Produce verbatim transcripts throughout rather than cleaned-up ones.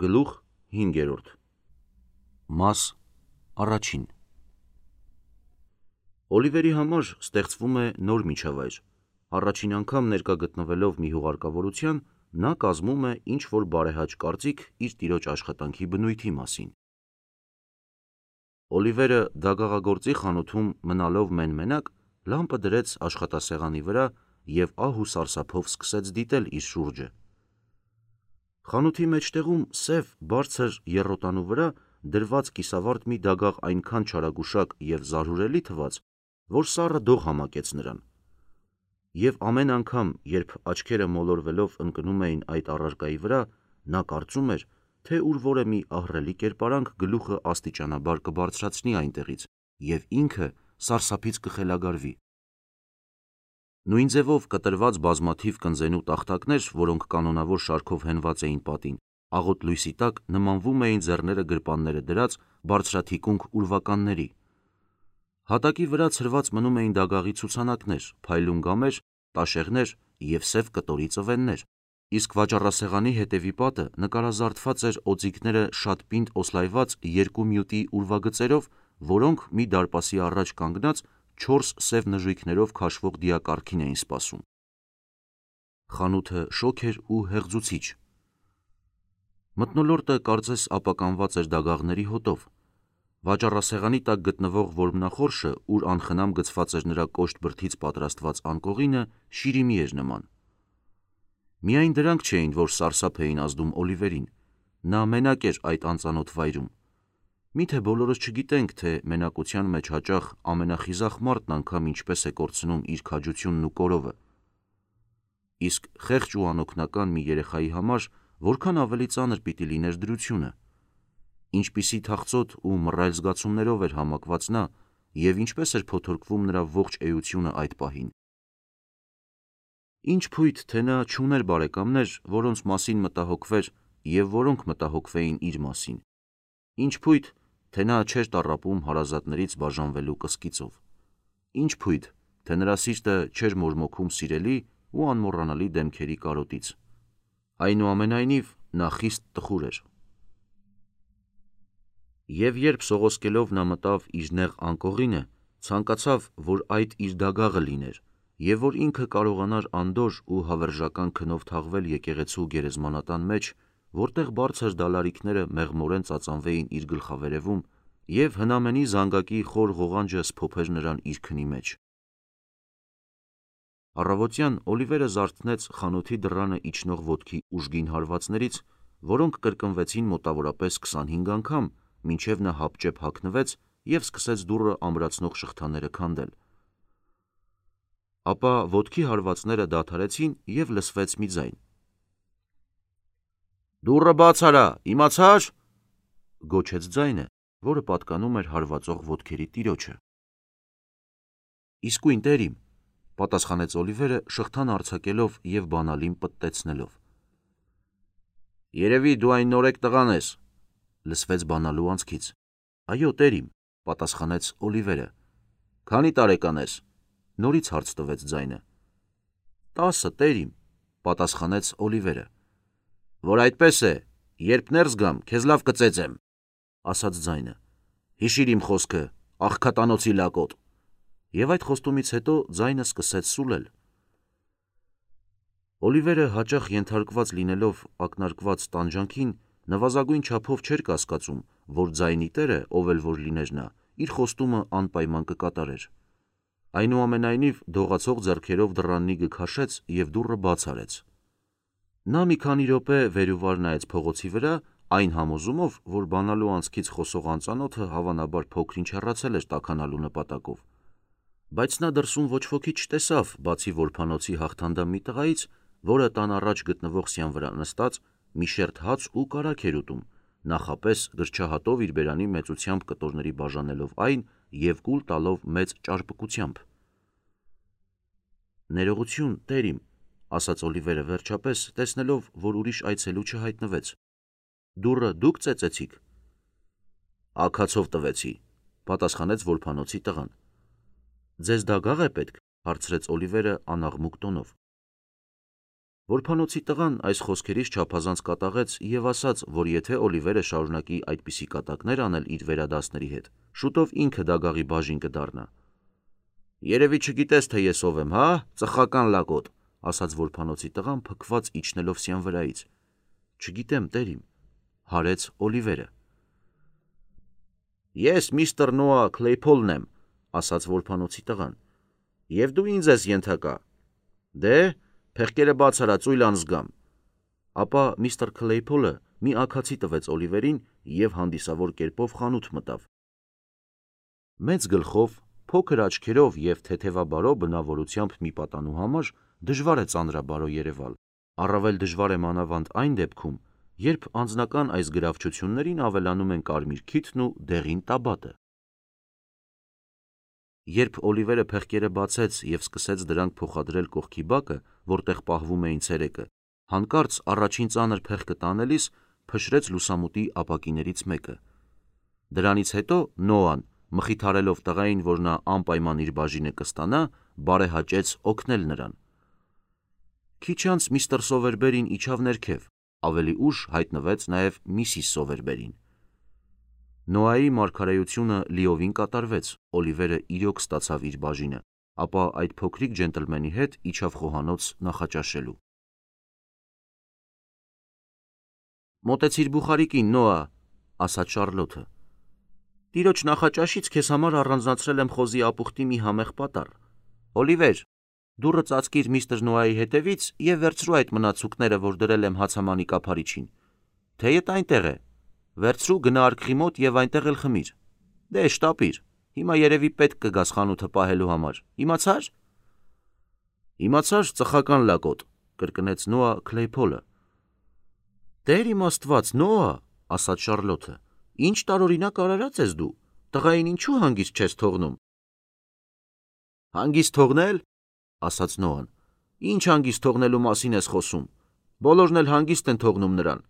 Գլուխ հինգերորդ Մաս առաջին Օլիվերի համար ստեղծվում է նոր միջավայր։ Առաջին անգամ ներկա գտնվելով մի հուղարկավորության, նա կազմում է ինչ-որ բարեհաճ կարծիք իր տիրոջ աշխատանքի բնույթի մասին։ Օլիվերը դագաղագործի խանութում մնալով մեն-մենակ, լամպը դրեց աշխատասեղանի վրա և ահ ու սարսափով սկսեց դիտել իր շուրջը։ Խանութի մեջտեղում սև, բարձր եռոտանու վրա դրված կիսավարդ մի դագաղ այնքան չարագուշակ և զարհուրելի թվաց, որ սառը դող համակեց նրան։ Եվ ամեն անգամ, երբ աչքերը մոլորվելով ընկնում էին այդ առարկայի վրա, նա կարծում էր, թե ուր որե մի ահռելի կերպարանք գլուխը աստիճանաբար կբարձրացնի այնտեղից, և ինքը սարսափից կխելագարվի։ Նույն ձևով կտրված բազմաթիվ կնզենու տախտակներ, որոնք կանոնավոր շարքով հենված էին պատին, աղոտ լույսի տակ նմանվում էին ձեռները գրպանները դրած բարձրաթիկունք ուրվականների։ Հատակի վրա ցրված մնում էին դագաղի ցուցանակներ, փայլուն գամեր, տաշեղներ և սև կտորի ծվեններ, իսկ վաճառասեղանի հետևի պատը նկարազարդված էր օձիքները շատ պինդ օսլայված երկու մյուտի ուրվագծերով, որոնք մի դարպասի առաջ կանգնած չորս սև նժույգներով քաշվող դիակառքին էին սպասում։ Խանութը շոգ էր ու հեղձուցիչ։ Մթնոլորտը կարծես ապականված էր դագաղների հոտով։ Վաճառասեղանի տակ գտնվող որմնախորշը, ուր անխնամ գցված էր նրա կոշտ բրդից պատրաստված անկողինը, շիրիմի էր նման։ Միայն դրանք չէին, որ սարսափ էին ազդում Օլիվերին։ Նա մենակ էր այդ անծանոթ վայրում։ Միթե բոլորս չգիտենք, թե մենակության մեջ հաճախ ամենախիզախ մարդն անգամ ինչպես է կորցնում իր քաջությունն ու կորովը։ Իսկ խեղճ ու անօգնական մի երեխայի համար որքան ավելի ծանր պիտի լիներ դրությունը։ Ինչպիսի թախծոտ ու մռայլ զգացումներով էր համակված նա, և ինչպես էր փոթորկվում նրա ողջ էությունը այդ պահին։ Ինչ փույթ, թե նա չուներ բարեկամներ, որոնց մասին մտահոգվեր և որոնք մտահոգվեին իր մասին։ Ինչ փույթ, թե նա չէր տառապում հարազատներից բաժանվելու կսկիծով։ Ինչ փույթ, թե նրա սիրտը չէր մորմոքում սիրելի ու անմոռանալի դեմքերի կարոտից։ Այնուամենայնիվ, նա խիստ տխուր էր։ Եվ երբ սողոսկելով նա մտավ իր նեղ անկողինը, ցանկացավ, որ այդ իր դագաղը լիներ, և որ ինքը կարողանար անդորր ու հավերժական քնով թաղվել եկեղեցու գերեզմանատան մեջ, որտեղ բարձր դալարիքները մեղմորեն ծածանվեին իր գլխավերևում, և հնամենի զանգակի խոր ղողանջը սփոփեր նրան իր քնի մեջ։ Առավոտյան Օլիվերը զարթնեց խանութի դռանը իջնող ոտքի ուժգին հարվածներից, որոնք կրկնվեցին մոտավորապես քսանհինգ անգամ, մինչև նա հապճեպ հագնվեց և սկսեց դուռը ամրացնող շղթաները քանդել։ Ապա ոտքի հարվածները դադարեցին և լսվեց մի ձայն. «Դուռը բաց արա, իմացա՞ր», գոչեց ձայնը, որը պատկանում էր հարվածող ոտքերի տիրոջը։ «Իսկույն, տերիմ», պատասխանեց Օլիվերը շղթան արձակելով և բանալին պտտեցնելով։ «Երևի դու այն նորեկ տղան ես», լսվեց բանալու անցքից։ «Այո, տերիմ», պատասխանեց Օլիվերը։ «Քանի տարեկան ես», նորից հարց տվեց ձայնը։ «Տասը, տերիմ», պատասխանեց Օլիվերը։ «Որ այդպես է, երբ ներս գամ, քեզ լավ կծեծեմ», ասաց ձայնը։ «Հիշիր իմ խոսքը, աղքատանոցի լակոտ», և այդ խոստումից հետո ձայնը սկսեց սուլել։ Օլիվերը հաճախ ենթարկված լինելով ակնարկված տանջանքին, նվազագույն չափով չէր կասկածում, որ ձայնի տերը, ով էլ որ լիներ նա, իր խոստումը անպայման կկատարեր։ Այնուամենայնիվ դողացող ձեռքերով դռան նիգը քաշեց և դուռը բաց արեց։ Նա մի քանի րոպե վեր ու վար նայեց փողոցի վրա, այն համոզումով, որ բանալու անցքից խոսող անծանոթը հավանաբար փոքր-ինչ հեռացել էր տաքանալու նպատակով։ Բայց նա դրսում ոչ ոքի չտեսավ, բացի որբանոցի հաղթանդամ մի տղայից, որը տան առաջ գտնվող սյան վրա նստած մի շերտ հաց ու կարագ էր ուտում, նախապես գրչահատով իր բերանի մեծությամբ կտորների բաժանելով այն և կուլ տալով մեծ ճարպկությամբ։ «Ներողություն, տերիմ», ասաց Օլիվերը վերջապես, տեսնելով, որ ուրիշ այցելու չհայտնվեց։ «Դուռը դուք ծեծեցիք»։ «Աքացով տվեցի», պատասխանեց որբանոցի տղան։ «Ձեզ դագաղ է պետք», հարցրեց Օլիվերը անաղմուկ տոնով։ Որբանոցի տղան այս խոսքերից չափազանց կատաղեց և ասաց, որ եթե Օլիվերը շարունակի այդպիսի կատակներ անել իր վերադասների հետ, շուտով ինքը դագաղի բաժին կդառնա։ Երևի չգիտես, թե ես ով եմ, հա, ծխական լակոտ, ասաց որբանոցի տղան փքված իջնելով սյան վրայից։ Չգիտեմ, տերիմ, հարեց Օլիվերը։ Ես միստր Նոա Քլեյփոլն եմ, ասաց որբանոցի տղան, և դու ինձ ես ենթակա։ Դե, փեղկերը բաց արա, ծույլ անզգամ։ Ապա միստր Քլեյփոլը մի աքացի տվեց Օլիվերին և հանդիսավոր կերպով խանութ մտավ։ Մեծ գլխով, փոքր աչքերով և թեթևաբարո բնավորությամբ մի պատանու համար դժվար է ծանրաբարո երևալ, առավել դժվար է մանավանդ այն դեպքում, երբ անձնական այս գրավչություններին ավելանում են կարմիր քիթն ու դեղին տաբատը։ Երբ Օլիվերը փեղկերը բացեց և սկսեց դրանք փոխադրել կողքի բակը, որտեղ պահվում էին ցերեկը, հանկարծ առաջին ծանր փեղկը տանելիս փշրեց լուսամուտի ապակիներից մեկը։ Դրանից հետո Նոան, մխիթարելով տղային, որ նա անպայման իր բաժինը կստանա, բարեհաճեց օգնել նրան։ Քիչ անց միստր Սովերբերին իջավ ներքև, ավելի ուշ հայտնվեց նաև միսիս Սովերբերին։ Նոայի մարգարեությունը լիովին կատարվեց, Օլիվերը իրոք ստացավ իր բաժինը, ապա այդ փոքրիկ ջենտլմենի հետ իջավ խոհանոց նախաճաշելու։ Մոտեցիր բուխարիկին, Նոա, ասաց Շարլոթը։ Տիրոջ նախաճաշից քեզ համար առանձնացրել եմ խոզի ապուխտի մի համեղ պատառ։ Օլիվեր, դուռը ծածկիր միստր Նոայի հետևից և վերցրու այդ մնացուկները, որ դրել եմ հացամանի կափարիչին։ Թեյդ այնտեղ է։ Վերցրու գնա արկղի մոտ և այնտեղ էլ խմիր։ Դե շտապիր, հիմա երևի պետք կգաս խանութը պահելու համար, իմացա՞ր։ Իմացար, ծխական լակոտ, կրկնեց Նոա Քլեյփոլը։ Տեր իմ Աստված, Նոա, ասաց Շարլոթը, ինչ տարօրինակ արարած ես դու, տղային ինչու հանգիստ չես թողնում։ Հանգիստ թողնել, ասաց Նոան, ինչ հանգիստ թողնելու մասին ես խոսում, բոլորն էլ հանգիստ են թողնում նրան,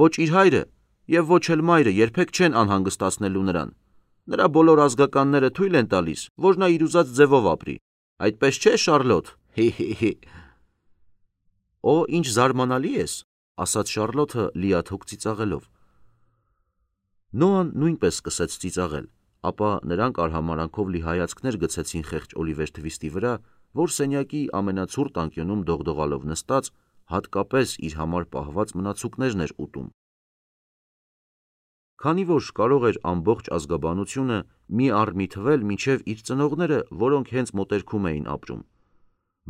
ոչ իր հայրը և ոչ էլ մայրը երբեք չեն անհանգստացնելու նրան, նրա բոլոր ազգականները թույլ են տալիս, որ նա իր ուզած ձևով ապրի, այդպես չէ, Շարլոթ, հի՛հի՛հի։ Օ, ինչ զարմանալի ես, ասաց Շարլոթը լիաթոք ծիծաղելով։ Նոան նույնպես սկսեց ծիծաղել, ապա նրանք արհամարհանքով լի հայացքներ գցեցին խեղճ Օլիվեր Թվիստի վրա, որ սենյակի ամենացուրտ անկյունում դողդողալով նստած, հատկապես իր համար պահված մնացուկներն էր ուտում։ Քանի որ կարող էր ամբողջ ազգաբանությունը մի առ մի թվել մինչև իր ծնողները, որոնք հենց մոտերքում էին ապրում։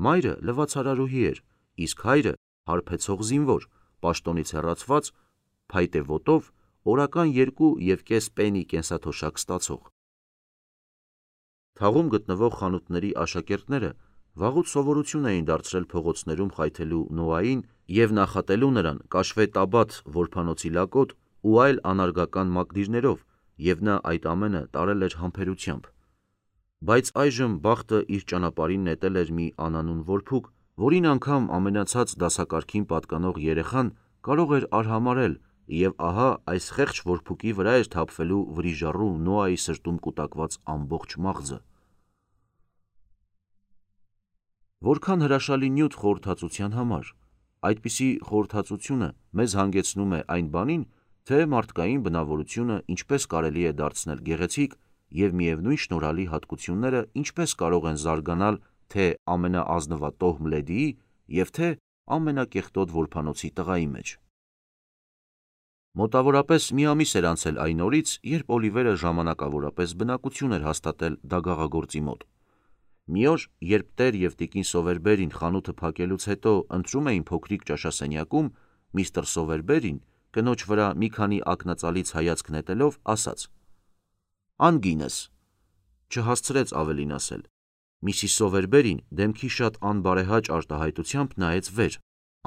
Մայրը լվացարարուհի էր, իսկ հայրը հարբեցող զինվոր, պաշտոնից հեռացված, փայտե ոտով, օրական երկու և կես պենի կենսաթոշակ ստացող։ Թաղում գտնվող խանութների աշակերտները վաղուց սովորություն էին դարձրել փողոցներում խայթելու Նոային և նախատելու նրան կաշվե տաբատ, որբանոցի լակոտ ու այլ անարգական մակդիրներով, և նա այդ ամենը տարել էր համբերությամբ։ Բայց այժմ բախտը իր ճանապարհին նետել էր մի անանուն որբուք, որին անգամ ամենացած դասակարգին պատկանող երեխան կարող էր արհամարհել, և ահա այս խեղճ որբուկի վրա էր թափվելու վրիժառու Նոայի սրտում կուտակված ամբողջ մաղձը։ Որքան հրաշալի նյութ խորհրդածության համար։ Այդպիսի խորհրդածությունը մեզ հանգեցնում է այն բանին, թե մարդկային բնավորությունը ինչպես կարելի է դարձնել գեղեցիկ և միևնույն շնորհալի հատկությունները ինչպես կարող են զարգանալ թե ամենաազնվատոհմ լեդիի և թե ամենակեղտոտ որբանոցի տղայի մեջ։ Մոտավորապես մի ամիս էր անցել այն օրից, երբ Օլիվերը ժամանակավորապես բնակություն էր հաստատել դագաղագործի մոտ։ Մի օր, երբ տեր և տիկին Սովերբերին խանութը փակելուց հետո ընթրում էին փոքրիկ ճաշասենյակում, միստր Սովերբերին, կնոջ վրա մի քանի ակնածալից հայացք նետելով, ասաց. Անգինս, չհասցրեց ավելին ասել։ Միսիս Սովերբերին դեմքի շատ անբարեհաճ արտահայտությամբ նայեց վեր,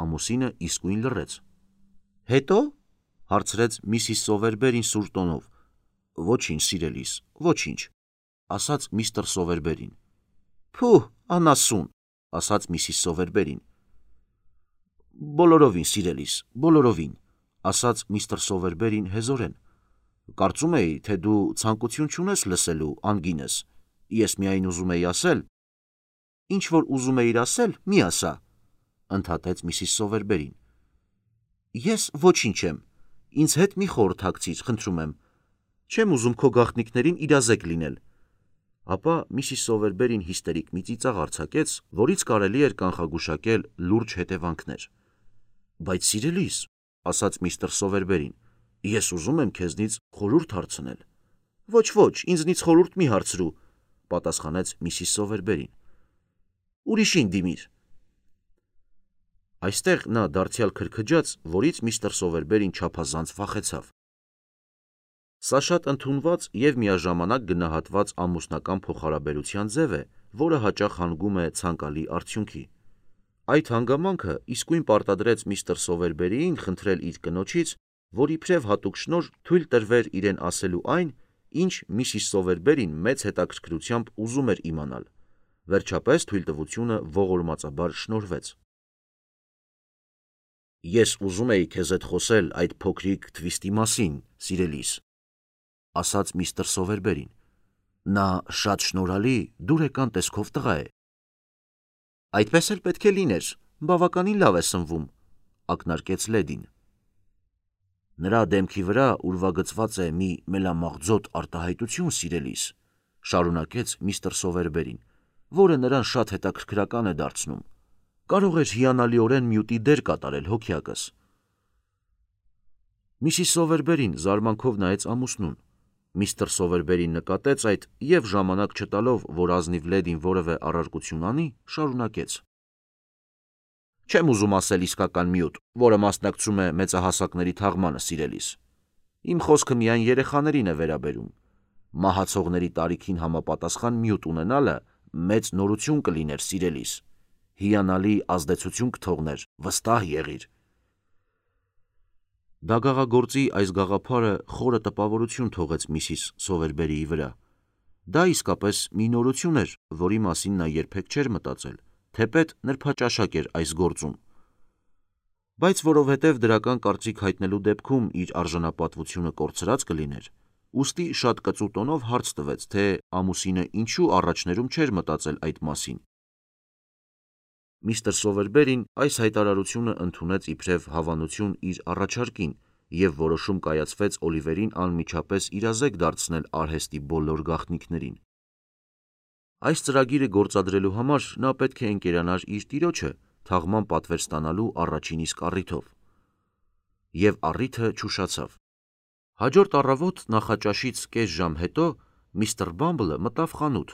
ամուսինը իսկույն լռեց։ Հետո, հարցրեց միսիս Սովերբերին սուր տոնով։ Ոչինչ, սիրելիս, ոչինչ, ասաց միստր Սովերբերին։ Փուհ, անասուն, ասաց միսիս Սովերբերին։ Բոլորովին, սիրելիս, բոլորովին, ասաց միստր Սովերբերին հեզորեն։ Կարծում էի, թե դու ցանկություն չունես լսելու, անգինս, ես միայն ուզում էի ասել։ Ինչ որ ուզում էիր ասել, մի ասա։ ընդհատեց Միսիս Սովերբերին։ Ես ոչինչ եմ, ինձ հետ մի խորհրդակցիր, խնդրում եմ, չեմ ուզում քո գաղտնիքներին իրազեկ լինել։ Ապա Միսիս Սովերբերին հիստերիկ մի ծիծաղ արձակեց, որից կարելի էր կանխագուշակել լուրջ հետևանքներ։ Բայց սիրելիս, ասաց միստր Սովերբերին, ես ուզում եմ քեզնից խորհուրդ հարցնել։ Ոչ, ոչ, ինձնից խորհուրդ մի հարցրու, պատասխանեց Միսիս Սովերբերին։ Ուրիշին դիմիր։ Այստեղ նա դարձյալ քրքջաց, որից միստր Սովերբերին չափազանց վախեցավ։ Սա շատ ընդունված և միաժամանակ գնահատված ամուսնական փոխհարաբերության ձև է, որը հաճախ հանգում է ցանկալի արդյունքի։ Այդ հանգամանքը իսկույն պարտադրեց միստր Սովերբերիին խնդրել իր կնոջից, որ իբրև հատուկ շնորհ թույլ տրվեր իրեն ասելու այն, ինչ Միսիս Սովերբերին մեծ հետաքրքրությամբ ուզում էր իմանալ։ Վերջապես թույլտվությունը ողորմածաբար շնորհվեց։ Ես ուզում էի քեզ հետ խոսել այդ փոքրիկ թվիստի մասին, սիրելիս, ասաց միստր Սովերբերին։ Նա շատ շնորհալի, դուրեկան տեսքով տղա է։ Այդպես էլ պետք է լիներ, բավականին լավ է սնվում, ակնարկեց լեդին։ Նրա դեմքի վրա ուրվագծված է մի մելամաղձոտ արտահայտություն, սիրելիս, շարունակեց միստր Սովերբերին, որը նրան շատ հետաքրքրական է դարձնում։ Կարող էր հիանալիորեն մյուտի դեր կատարել հոգյակս։ Միսիս Սովերբերին զարմանքով նայեց ամուսնուն։ Միստր Սովերբերին նկատեց այդ և ժամանակ չտալով, որ ազնիվ լեդին որևէ առարկություն անի, շարունակեց. Չեմ ուզում ասել իսկական մյուտ, որը մասնակցում է մեծահասակների թաղմանը, սիրելիս։ Իմ խոսքը միայն երեխաներին է վերաբերում։ Մահացողների տարիքին համապատասխան մյուտ ունենալը մեծ նորություն կլիներ, սիրելիս։ Հիանալի ազդեցություն կթողներ, վստահ եղիր։ Դագաղագործի այս գաղափարը խորը տպավորություն թողեց Միսիս Սովերբերիի վրա։ Դա իսկապես մի նորություն էր, որի մասին նա երբեք չէր մտածել, թեպետ նրբաճաշակ էր այս գործում։ Բայց որովհետև դրական կարծիք հայտնելու դեպքում իր արժանապատվությունը կորցրած կլիներ, ուստի շատ կծու տոնով հարց տվեց, թե ամուսինը ինչու առաջներում չէր մտածել այդ մասին։ Միստր Սովերբերին այս հայտարարությունը ընդունեց իբրև հավանություն իր առաջարկին և որոշում կայացվեց Օլիվերին անմիջապես իրազեկ դարձնել արհեստի բոլոր գաղտնիքներին։ Այս ծրագիրը գործադրելու համար նա պետք է ընկերանար իր տիրոջը թաղման պատվեր ստանալու առաջին իսկ առիթով։ Եվ առիթը չուշացավ։ Հաջորդ առավոտ նախաճաշից կես ժամ հետո միստր Բամբլը մտավ խանութ,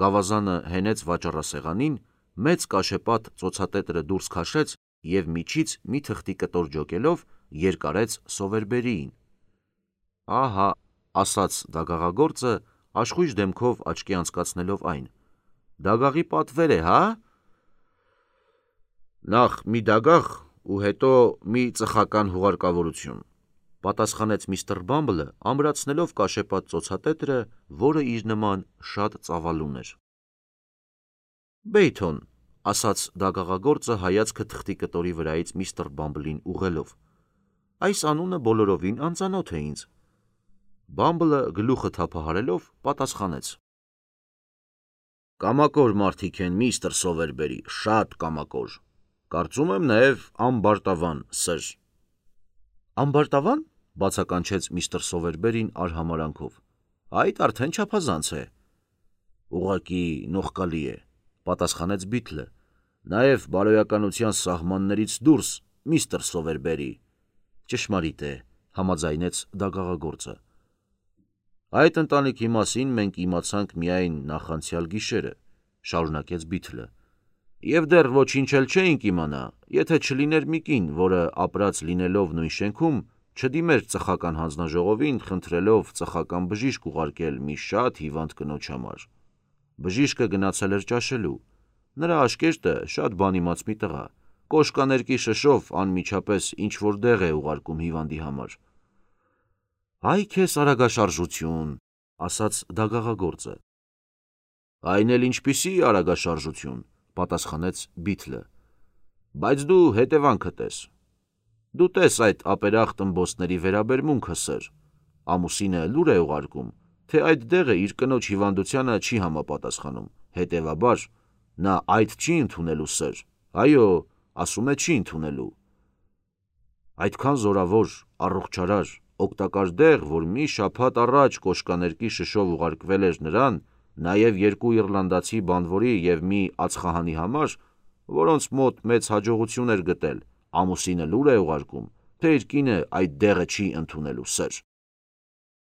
գավազանը հենեց վաճառասեղանին, մեծ կաշեպատ ծոցատետրը դուրս քաշեց և միջից մի թղթի կտոր ջոկելով երկարեց Սովերբերիին։ Ահա, ասաց դագաղագործը, աշխույժ դեմքով աչքի անցկացնելով այն, դագաղի պատվեր է, հա։ Նախ մի դագաղ ու հետո մի ծխական հուղարկավորություն, պատասխանեց միստր Բամբլը, ամրացնելով կաշեպատ ծոցատետրը, որը իր նման շատ ծավալուն էր։ Բեյթոն, ասաց դագաղագործը հայացքը թղթի կտորի վրայից միստր Բամբլին ուղղելով, այս անունը բոլորովին անծանոթ է ինձ։ Բամբլը գլուխը թափահարելով պատասխանեց. Կամակոր մարդիկ են, միստր Սովերբերի, շատ կամակոր, կարծում եմ նաև ամբարտավան, սըր։ Ամբարտավան, բացականչեց միստր Սովերբերին արհամարանքով, այդ արդեն չափազանց է։ Ուղղակի նողկալի է, պատասխանեց Բիթլը, նաև բարոյականության սահմաններից դուրս, միստր Սովերբերի։ Ճշմարիտ է, համաձայնեց դագաղագործը։ Այդ ընտանիքի մասին մենք իմացանք միայն նախանցյալ գիշերը, շարունակեց Բիթլը, և դեռ ոչինչ էլ չէինք իմանա, եթե չլիներ մի կին, որը ապրած լինելով նույն շենքում, չդիմեր ծխական հանձնաժողովին, խնդրելով ծխական բժիշկ ուղարկել մի շատ հիվանդ կնոջ համար։ Բժիշկը գնացել էր ճաշելու, նրա աշկերտը շատ բանիմաց մի տղա, կոշկաներկի շշով անմիջապես ինչ-որ դեղ է ուղարկում հիվանդի համար։ Այ քեզ արագաշարժություն, ասաց դագաղագործը։ Այն էլ ինչպիսի արագաշարժություն, պատասխանեց Բիթլը, բայց դու հետևանքը տես։ Դու տես այդ ապերախտ ըմբոստների վերաբերմունքը, սըր, ամուսինը լուր է ուղարկում, թե այդ դեղը իր կնոջ հիվանդությանը չի համապատասխանում, հետևաբար նա այդ չի ընդունելու, սըր, այո, ասում է չի ընդունելու։ Այդքան զորավոր, առողջարար, օգտակար դեղ, որ մի շաբաթ առաջ կոշկաներկի շշով ուղարկվել էր նրան, նաև երկու իռլանդացի բանվորի և մի ածխահանի համար, որոնց մոտ մեծ հաջողություն էր գտել, ամուսինը լուր է ուղարկում, թե իր կինը այդ դեղը չի ընդունելու, սըր։